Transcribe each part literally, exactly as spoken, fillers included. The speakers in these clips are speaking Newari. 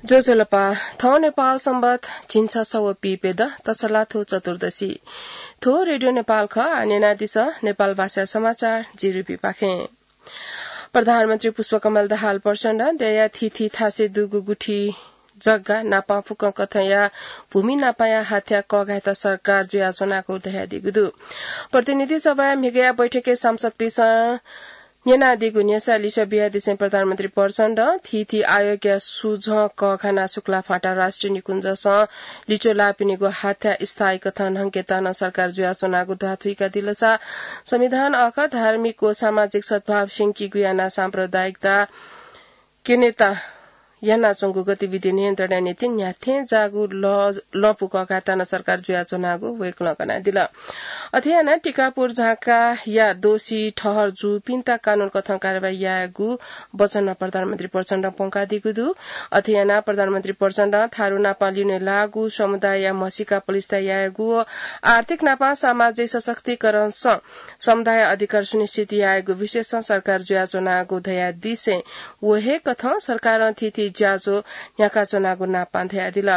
ज्वजलपा, थौं नेपाल संवत झिंछसः व पीप्यदँ तछलाथ्व चतुर्दशी। थ्व रेडियो नेपाल खः, आः न्यनादिसँ नेपाल भाषा समाचार जिरिपिपाखें। प्रधानमन्त्री पुष्पकमल दाहाल प्रचण्डं देय्‌या थीथी थासय् दुगु गुथि जग्गा नापं फुक्कं कथंया भूमि नापंया हाथ्या कःघायेत सरकार जुयाच्वनागु धयादीगु दु। प्रतिनिधि सभाया म्हिगःया बैठकय् सांसदपिन्सं न्यनादीगु न्ह्यसः लिसः बियादिसें प्रधानमन्त्री प्रचण्डं थीथी आयोगया सुझं कःघानाः शुक्लाफाँटा राष्ट्रिय निकुञ्जसं लिच्वः लाःपिनिगु हाथ्या स्थायी कथं न्हंकेत नं सरकार जुयाच्वनागु ध्वाथुइकादिलसा संविधान अखः धार्मिक व सामाजिक सद्भाव स्यंकीगु यानाः साम्प्रदायिकता क्यनेत यानाच्वंगु गतिविधि नियन्त्रणया निंतिं न्ह्याथें जाःगु ल-, लँपु कःघायेत नं सरकार जुयाच्वनागु वय्‌कलं कनादिल। अथे यानाः टिकापुर झाँकाया दोषी ठहर जूपिन्त कानून कथं कारवाही यायेगु वचन प्रधानमन्त्री प्रचण्डं प्वंकादीगु दु। अथे यानाः प्रधानमन्त्री प्रचण्डं थारु नापं लिउने लाःगु समुदायया म्हसीका पलिस्था यायेगु व आर्थिक नापं सामाजिक सशक्तिकरणसं समुदाय अधिकार सुनिश्चित यायेगु विषयसं सरकार जुयाच्वनागु धयादिसें व हे कथं सरकारं थीथी ज्याझ्वः न्ह्याकाच्वनागु नापं धयादिल।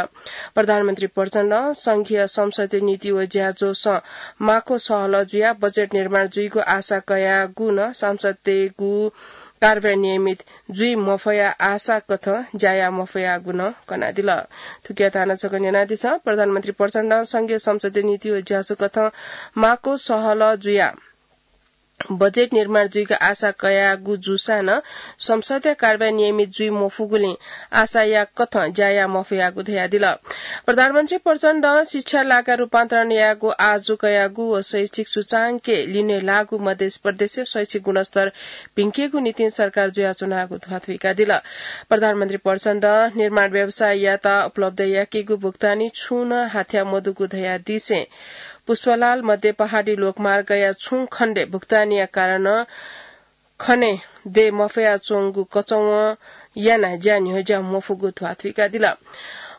प्रधानमन्त्री प्रचण्डं संघीय संसदीय नीति व ज्याझ्वःसं माक्व सहलह जुयाः बजेट निर्माण जुइगु आशा कयागु नं सांसदतय्‌गु कारवाही नियमित जुइ मफया आशा कथं ज्या याये मफयागु नं कनादिल। थुकियात हानं छकः न्यनादिसँ। प्रधानमन्त्री प्रचण्डं संघीय संसदीय नीति व ज्याझ्वः कथं माक्व सहलह जुयाः बजेट निर्माण जुइगु आशा कयागु जूसां नं संसदया कारवाही नियमित जुइ मफुगुलिं आशा याः कथं ज्या याये मफयागु धयादिल। प्रधानमन्त्री प्रचण्डं शिक्षा लागा रूपान्तरण यायेगु आजु कयागु व शैक्षिक सूचांकय् लिने लाःगु मध्य प्रदेशया शैक्षिक गुणस्तर भिंकेगु निंतिं सरकार जुयाच्वनागु ध्वाथुइकादिल। प्रधानमन्त्री प्रचण्डं निर्माण व्यवसाययात उपलब्ध याकेगु भुक्तानी छुं नं हाथ्या मदुगु धयादिसें पुष्पलाल मध्य पहाडी लोकमार्गया छुं खण्डय् भुक्तानीया कारणं खने दये मफयाच्वंगु कचवं यानाः ज्या न्ह्यज्या मफुगु ध्वाथुइकादिल।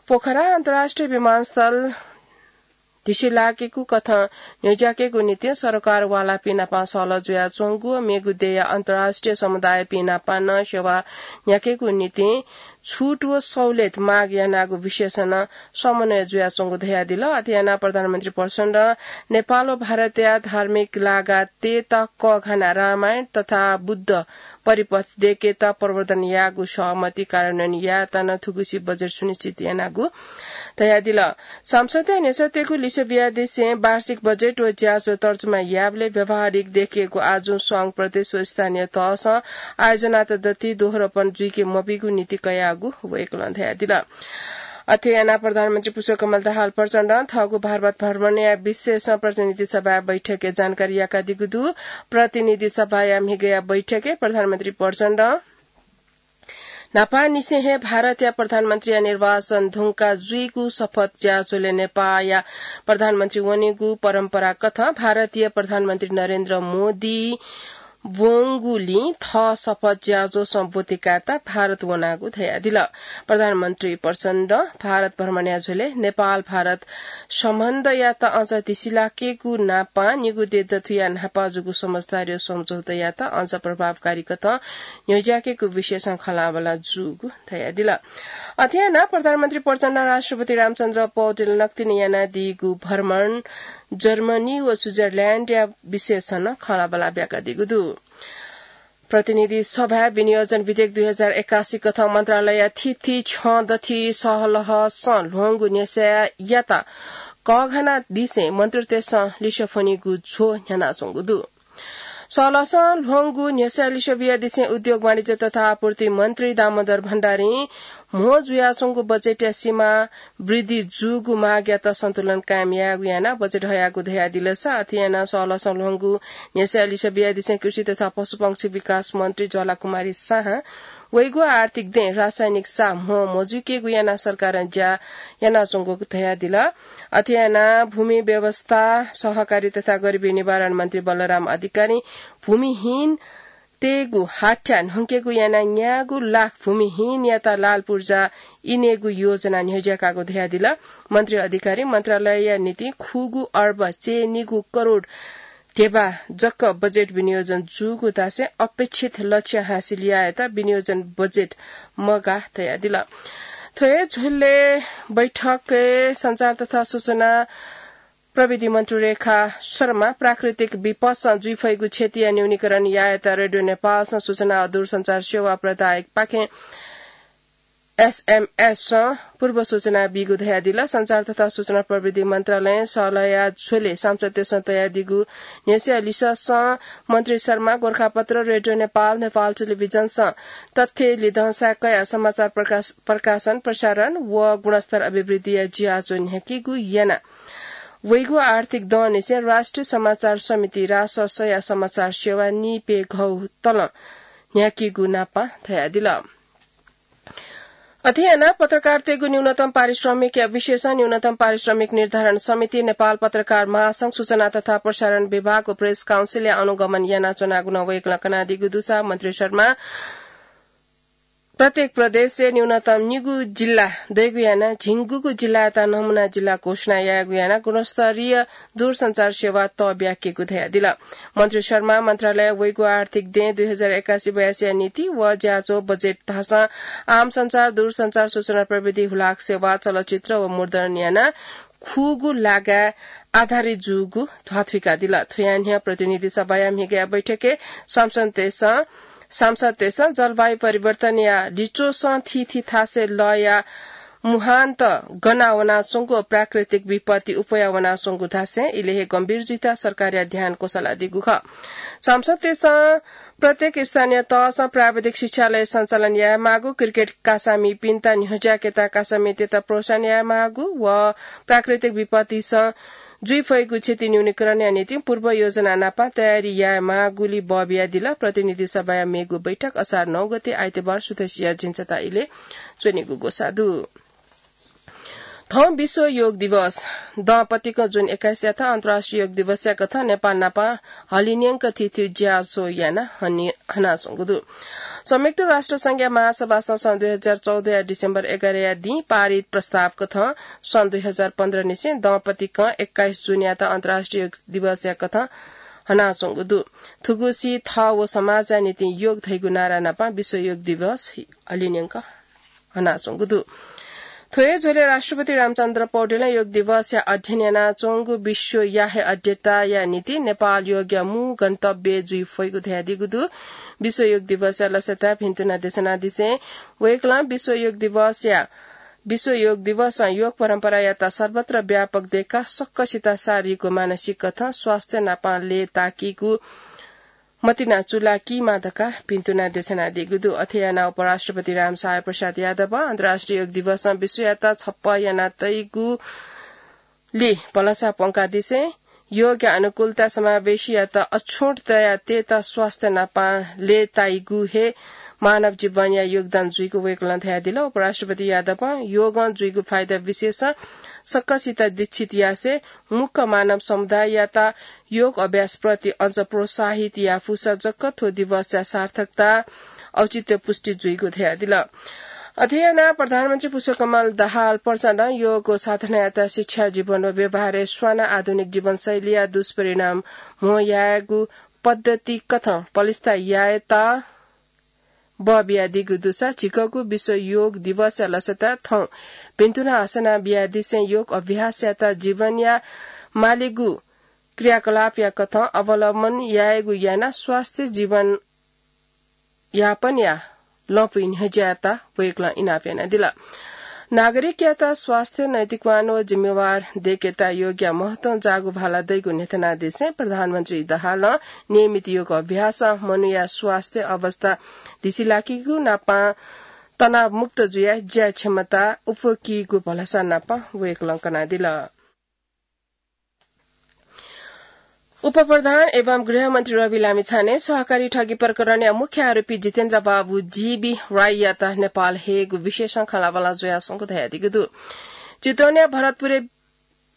पोखरा अन्तर्राष्ट्रिय विमानस्थल धिसिलाकेगु कथं न्ह्यज्याकेगु निंतिं सरकार वालापिं नाप सहलह जुयाच्वंगु व मेगु देय्‌या अन्तर्राष्ट्रिय समुदायपिं नाप नं सेवा न्ह्याकेगु निंतिं छुट व सहुलियत माग यानागु विषयसं नं समन्वय जुयाच्वंगु धयादिल। अथे यानाः प्रधानमन्त्री प्रचण्डं नेपाल व भारतया धार्मिक लागा तयेत कःघानाः रामायण तथा बुद्ध परिपथ दयेकेत प्रवर्धन यायेगु सहमति कार्यान्वयन यायेत नं थुगुसी बजेट सुनिश्चित यानागु धयादिल। संसदया न्ह्यसःतय्‌गु लिसः बियादिसें वार्षिक बजेट व ज्याझ्वः तर्जुमा यायेबलय् व्यावहारिक देखिएको आजुं संघ, प्रदेश व स्थानीय तहसं आयोजनात दति दोहोरोपन जुइके मबीगु नीति कयागु वय्‌कलं धयादिल। अथे यानाः प्रधानमन्त्री पुष्पकमल दाहाल प्रचण्डं थःगु भारत भ्रमणया विषयसं प्रतिनिधि सभाया बैठकय् जानकारी याकादीगु दु। प्रतिनिधि सभाया म्हिगःया बैठकय् प्रधानमन्त्री प्रचण्डं न्हापांनिसें हे भारतया प्रधानमन्त्रीया निर्वाचन धुंकाः जुइगु शपथ ज्याझ्वलय् नेपाःया प्रधानमन्त्री वनेगु परम्परा कथं भारतीय प्रधानमन्त्री नरेन्द्र मोदी वंगुलिं थः शपथ ज्याझ्वलय् ब्वति कायेत भारत वनागु धयादिल। प्रधानमन्त्री प्रचण्डं भारत भ्रमणया झ्वलय् नेपाल भारत सम्बन्धयात अझ धिसिलाकेगु नापं निगू देय् दथुया न्हापा जूगु समझदारी व सम्झौतायात अझ प्रभावकारी कथं न्ह्यज्याकेगु विषयसं खँल्हाबल्हा जूगु धयादिल। अथे यानाः प्रधानमन्त्री प्रचण्डं राष्ट्रपति रामचन्द्र पौडेल नकतिनि यानादीगु भ्रमण जर्मनी व स्विजरल्याण्डया विषयसं नं खँल्हाबल्हा ब्याकादीगु दु। प्रतिनिधि सभाय् विनियोजन विधेयक दुई हजार एकासी कथं मन्त्रालयया थीथी छ्यं दथुइ सहलहसं ल्ह्वंगु न्ह्यसःयात कःघानादिसें मन्त्रीतय्‌सं लिसः फ्वनीगु झ्वः न्ह्यानाच्वंगु दु। सहलहसं ल्ह्वंगु न्ह्यसः लिसः बियादिसें उद्योग, वाणिज्य तथा आपूर्ति मन्त्री दामोदर भण्डारीं म्हो जुयाच्वंगु बजेटया सीमा वृद्धि जूगु मागयात सन्तुलन कायम यायेगु यानाः बजेट हयागु धयादिलसा, अथे यानाः सहलहसं ल्ह्वंगु न्ह्यसः लिसः बियादिसें कृषि तथा पशुपक्षी विकास मन्त्री ज्वालाकुमारी शाहं वइगु आर्थिक दँय् रासायनिक साः म्हो मजुइकेगु यानाः सरकारं ज्या यानाच्वंगु धयादिल। अथे यानाः भूमि व्यवस्था, सहकारी तथा गरिबी निवारण मन्त्री बलराम अधिकारीं भूमिहीन तयेगु हाथ्या न्हंकेगु यानाः न्यागू लाख भूमिहीनयात लाल पूर्जा इनेगु योजना न्ह्यज्याकागु धयादिल। मन्त्री अधिकारी मन्त्रालयया निंतिं खुगू अर्ब चय्‌निगू करोड ध्यबा जक बजेट विनियोजन जूगु धासें अपेक्षित लक्ष्य हासिल यायेत विनियोजन बजेट मगाः धयादिल। थ्व हे झ्वलय् बैठकय् सञ्चार तथा सूचना प्रविधि मन्त्री रेखा शर्मा प्राकृतिक विपदसं जुइफइगु क्षतिया न्यूनीकरण यायेत रेडियो नेपालसं सूचना व दूरसञ्चार सेवा प्रदायकपाखें एसएमएससं पूर्व सूचना बीगु धयादिल। सञ्चार तथा सूचना प्रविधि मन्त्रालयं सलया झ्वले सांसदतय्सं तयादीगु न्ह्यस्या लिससं मन्त्री शर्मा गोरखापत्र, रेडियो नेपाल, नेपाल टेलिभिजनसं तथ्य लिधंसा कया समाचार प्रकाश, प्रकाशन, प्रसारण व गुणस्तर अभिवृद्धिया ज्याझ्वः न्ह्याकीगु याना। वइगु आर्थिक दँनिसें राष्ट्रिय समाचार समिति, राससया समाचार सेवा निपे घौ तलं न्ह्याकीगु नापं धयादिल। अथे यानाः पत्रकारतय्गु न्यूनतम पारिश्रमिकया विषयसं न्यूनतम पारिश्रमिक निर्धारण समिति, नेपाल पत्रकार महासंघ, सूचना तथा प्रसारण विभाग व प्रेस काउन्सिलया अनुगमन यानाच्वनागु नं वय्कलं कनादीगु दुसा मन्त्री शर्मा प्रत्येक प्रदेशय् न्यूनतम निगू जिल्ला दइगु यानाः झिंगुगु जिल्लायात नमुना जिल्ला घोषणा यायेगु यानाः गुणस्तरीय दूरसञ्चार सेवा तःब्याकेगु धयादिल। मन्त्री शर्मा मन्त्रालय वइगु आर्थिक दँय् दुई हजार एकासी बयासीया नीति व ज्याझ्वः बजेट धाःसां आम सञ्चार, दूरसञ्चार, सूचना प्रविधि, हुलाक सेवा, चलचित्र व मुद्रण यानाः खुगू लागाय् आधारित जूगु ध्वाथुइकादिल। थ्वया न्ह्यः प्रतिनिधि सभाया म्हिगःया बैठकय् सांसदतय्सं सांसदतय्सं जलवायु परिवर्तनया लिच्वसं थीथी थासय् लःया मुहान्त गना वनाच्वंगु व प्राकृतिक विपत्ति उप्वया वनाच्वंगु धासें इलय् हे गम्भीर जुइत सरकारया ध्यान क्वसालादीगु खः। सांसदतय्सं प्रत्येक स्थानीय तहसं प्राविधिक शिक्षालय सञ्चालन यायेमाःगु, क्रिकेट कासामिपिन्त न्ह्यज्याकेत कासामितय्त प्रोत्साहन यायेमाःगु व प्राकृतिक विपत्तिसं जुइफइगु क्षति न्यूनीकरणया निंतिं पूर्व योजना नापं तयारी यायेमाःगुलि बः बियादिल। प्रतिनिधि सभाया मेगु बैठक असार नौ गते आइतबार सुथसिया झिंछता इलय् च्वनेगु ग्वसाः दु। थौं विश्व योग दिवस। दंपतिक जुन एक्काइसयात अन्तर्राष्ट्रिय योग दिवसया कथं नेपाल नापं हलिंन्यंक थीथी ज्याझ्वः यानाः हनि-, हनाच्वंगु दु। संयुक्त राष्ट्र संघया महासभासं सन् दुई हजार चौधया डिसेम्बर एघारया दिं पारित प्रस्ताव कथं सन् दुई हजार पन्ध्र निसें दंपतिकं एक्काइस जुनयात अन्तर्राष्ट्रिय योग दिवसया कथं हनाच्वंगु दु। थुगुसी थः व समाजया निंतिं योग धइगु नारा नापं विश्व योग दिवस हलिंन्यंक हनाच्वंगु दु। थ्व हे झ्वलय् राष्ट्रपति रामचन्द्र पौडेलं योग दिवसया अध्ययन यानाच्वंगु विश्वया हे अध्येताया निंतिं नेपाल योगया मू गन्तव्य जुइफइगु धयादीगु दु। विश्व योग दिवसया लसताय् भिन्तुना देछानादिसें वय्कलं विश्व योग दिवसया, विश्व योग दिवसं योग परम्परायात सर्वत्र व्यापक दय्काः सकसित शारीरिक व मानसिक कथं स्वास्थ्य नापं लय्ताकीगु मतिना चुलाकीमा धकाः भिन्तुना देछानादीगु दु। अथे यानाः उपराष्ट्रपति रामसहाय प्रसाद यादवं अन्तर्राष्ट्रिय योग दिवसं विश्वयात छप्पँ यानातइगुलि भलसा प्वंकादिसें योगया अनुकूलता समावेशीयात अछुँट तयाः तयेत स्वास्थ्य नापं लय्ताइगु हे मानव जीवनया योगदान जुइगु वय्कलं धयादिल। उपराष्ट्रपति यादवं योगं जुइगु फाइदा विषयसं सकसित दीक्षित यासें मुक्क मानव समुदाययात योग अभ्यासप्रति अझ प्रोत्साहित याफुसा जक थ्व दिवसया सार्थकता औचित्य पुष्टि जुइगु धयादिल। अथे यानाः प्रधानमन्त्री पुष्पकमल दाहाल प्रचण्डं योग व साधनायात शिक्षा, जीवन व व्यवहारय् स्वानाः आधुनिक जीवनशैलीया दुष्परिणाम म्हो यायेगु पद्धति कथं पलिस्था यायेत बः बियादीगु दुसा झीगु विश्व योग दिवसया लसताय् थौं भिन्तुना हसना बियादिसें योग अभ्यासयात जीवनया मालेगु क्रियाकलापया कथं अवलम्बन यायेगु यानाः स्वास्थ्य जीवन यापनया लँपुइ न्ह्यज्यायेत वय्कलं इनाप यानादिल। नागरिकयात स्वास्थ्य, नैतिकवान व जिम्मेवार दय्केत योगया महत्वं जाःगु भाला दइगु न्ह्यथनादिसें प्रधानमन्त्री दाहालं नियमित योग अभ्यासं मनूया स्वास्थ्य अवस्था धिसिलाकीगु नापं तनावमुक्त जुयाः ज्या क्षमता उप्वकीगु भलसा नापं वय्कलं कनादिल। उपप्रधान एवं गृहमन्त्री रवि लामिछाने सहकारी ठगी प्रकरणया मुख्य आरोपी जितेन्द्र बाबु जीबी राईयात नेपाल हेग विशेषं खँल्हाबल्हा जुयाच्वंगु धयादीगु दु। चितवनया भरतपुरय्,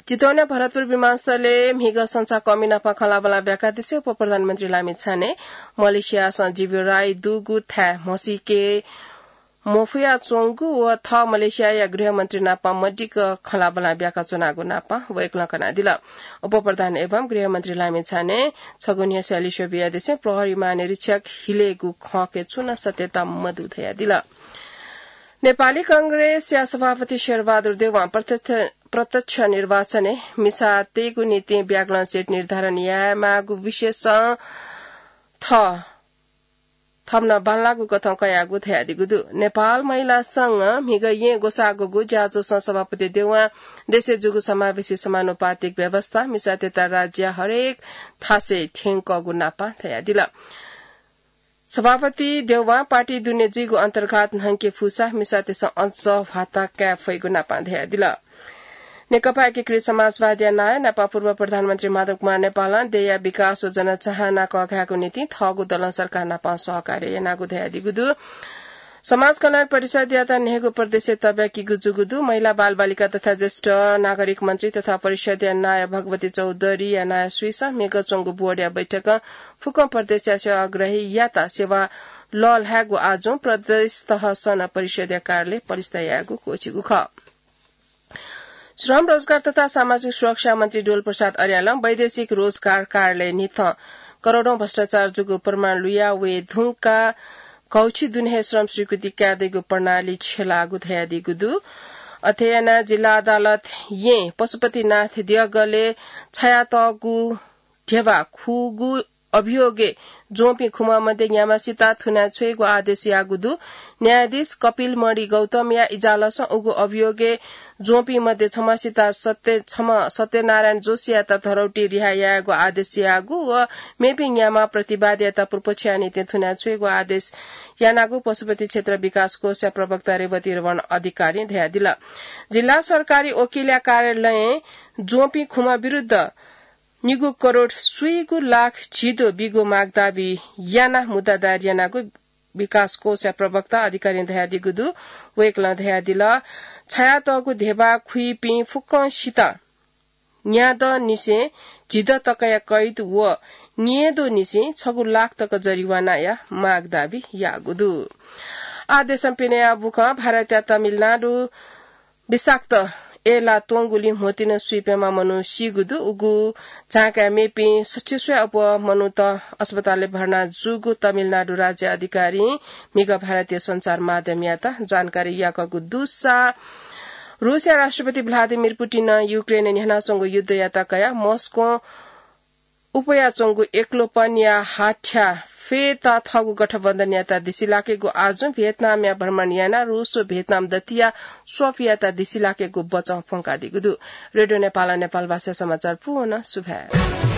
चितवनया भरतपुर विमानस्थलय् म्हिगः संसाकःमि नाप खँल्हाबल्हा ब्याकादिसें उपप्रधानमन्त्री लामिछाने मलेसियासं जीबी राई दुगु थाय् म्हसीके मफयाच्वंगु व थः मलेसियाया गृहमन्त्री नाप मदिक्क खँल्हाबल्हा ब्याकाच्वनागु नाप वय्कलं कनादिल। उपप्रधान एवं गृहमन्त्री लामिछाने छगू न्ह्यस्या लिस्यू बियादिसें प्रहरी महानिरीक्षक हिलेगु खँके छुं नं सत्यता मदु धयादिल। नेपाली कांग्रेसया सभापति शेरबहादुर देउवां प्रत्यक्ष, प्रत्यक्ष निर्वाचनय् मिसा तयेगु निंतिं ब्याकलस सिट निर्धारण यायेमाःगु विषयसं थः थम्हं बांलाःगु कथं कयागु धयादीगु दु। नेपाल महिला संघ म्हिगः येँ ग्वसाःगुगु ज्याझ्वलय् सभापति देउवां देशय् जूगु समावेशी समानुपातिक व्यवस्था मिसातय्त राज्यया हरेक थासय् थ्यंकःगु नापं धयादिल। सभापति देउवां पार्टी दुने जुइगु अन्तर्घात न्हंके फुसा मिसातय्सं अझ ह्वाता काये फइगु नापं धयादिल। नेकपा एकीकृत समाजवादया नायः नापं पूर्व प्रधानमन्त्री माधव कुमार नेपालं देय्या विकास व जनचाहना कःघायेगु निंतिं थःगु दलं सरकार नापं सहकार्य यानागु धयादीगु दु। समाज कल्याण परिषदयात न्हय्गू प्रदेशय् तब्याकीगु जूगु दु। महिला, बालबालिका तथा ज्येष्ठ नागरिक मन्त्री तथा परिषदया नायः भगवती चौधरीया नायः सुइसं म्हिगः च्वंगु बोर्डया बैठकं फुक्कं प्रदेशया सेवाग्राहीयात सेवा लःल्हायेगु आजुं प्रदेश तहसं नं परिषदया कार्यालय पलिस्था यायेगु क्वःछिगु खः। श्रम, रोजगार तथा सामाजिक सुरक्षा मन्त्री डोल प्रसाद अर्यालं वैदेशिक रोजगार कार्यालय न्हिथं करोडौं भ्रष्टाचार जूगु प्रमाण लुया वये धुंकाः घौछि दुने हे श्रम स्वीकृति काये दइगु प्रणाली छ्यलाःगु धयादीगु दु। अथे यानाः जिल्ला अदालत येँ पशुपतिनाथ देगलय् छायातःगु ध्यबा खुगू अभियोगय् ज्वंपिं खुम्ह मध्ये न्याम्हसित थुनाछ्वयेगु आदेश याःगु दु। न्यायाधीश कपिल मणि गौतमया इजालसं उगु अभियोगय् ज्वंपिं मध्ये छम्हसित सत्य, छम्ह सत्यनारायण जोशीयात धरौटी रिहा यायेगु आदेश याःगु व मेपिं न्याम्ह प्रतिवादीयात पुर्पछ्या निंतिं थुनाछ्वयेगु आदेश यानागु पशुपति क्षेत्र विकास कोषया प्रवक्ता रेवती रमण अधिकारीं धयादिल। जिल्ला सरकारी वकिलया कार्यालयं ज्वंपिं खुम्ह विरुद्ध निगू करोड स्वीगू लाख झिद्वः बीगु माग दाबी यानाः मुद्दा दायर यानागु विकास कोषया प्रवक्ता अधिकारीं धयादीगु दु। वय्कलं धयादिल, छायातःगु ध्यबा खुइपिं फुक्कंसित न्यादँनिसें झिद्वः तकया कैद व न्येदँनिसें छगू लाख तक जरिवानाया माग दाबी याःगु दु। आः देशं पिनेया बुखँ। भारतया तमिलनाडु विषाक्त एला त्वंगुलिं म्होतिं स्वीप्यम्ह मनू सीगु दु। उगु झांकाय् मेपिं सच्छि स्वया अप्वः मनूत अस्पतालय् भर्ना जूगु तमिलनाडु राज्य अधिकारीं म्हिगः भारतीय सञ्चार माध्यमयात जानकारी याकूगु दुसा, रूसया राष्ट्रपति भ्लादिमिर पुटिनं युक्रेनय् न्ह्यानाच्वंगु युद्धयात कयाः मस्कों उप्वयाच्वंगु एक्लोपनया हाथ्या फयेत थःगु गठबन्धनयात दिसिलाकेगु आजुं भियतनामया भ्रमण यानाः रूस व भियतनाम दतिया स्वफियात दिसिलाकेगु बचं फ्वंकादीगु दु। रेडियो नेपालं नेपाल भाषा समाचार पूवं सुभाय्।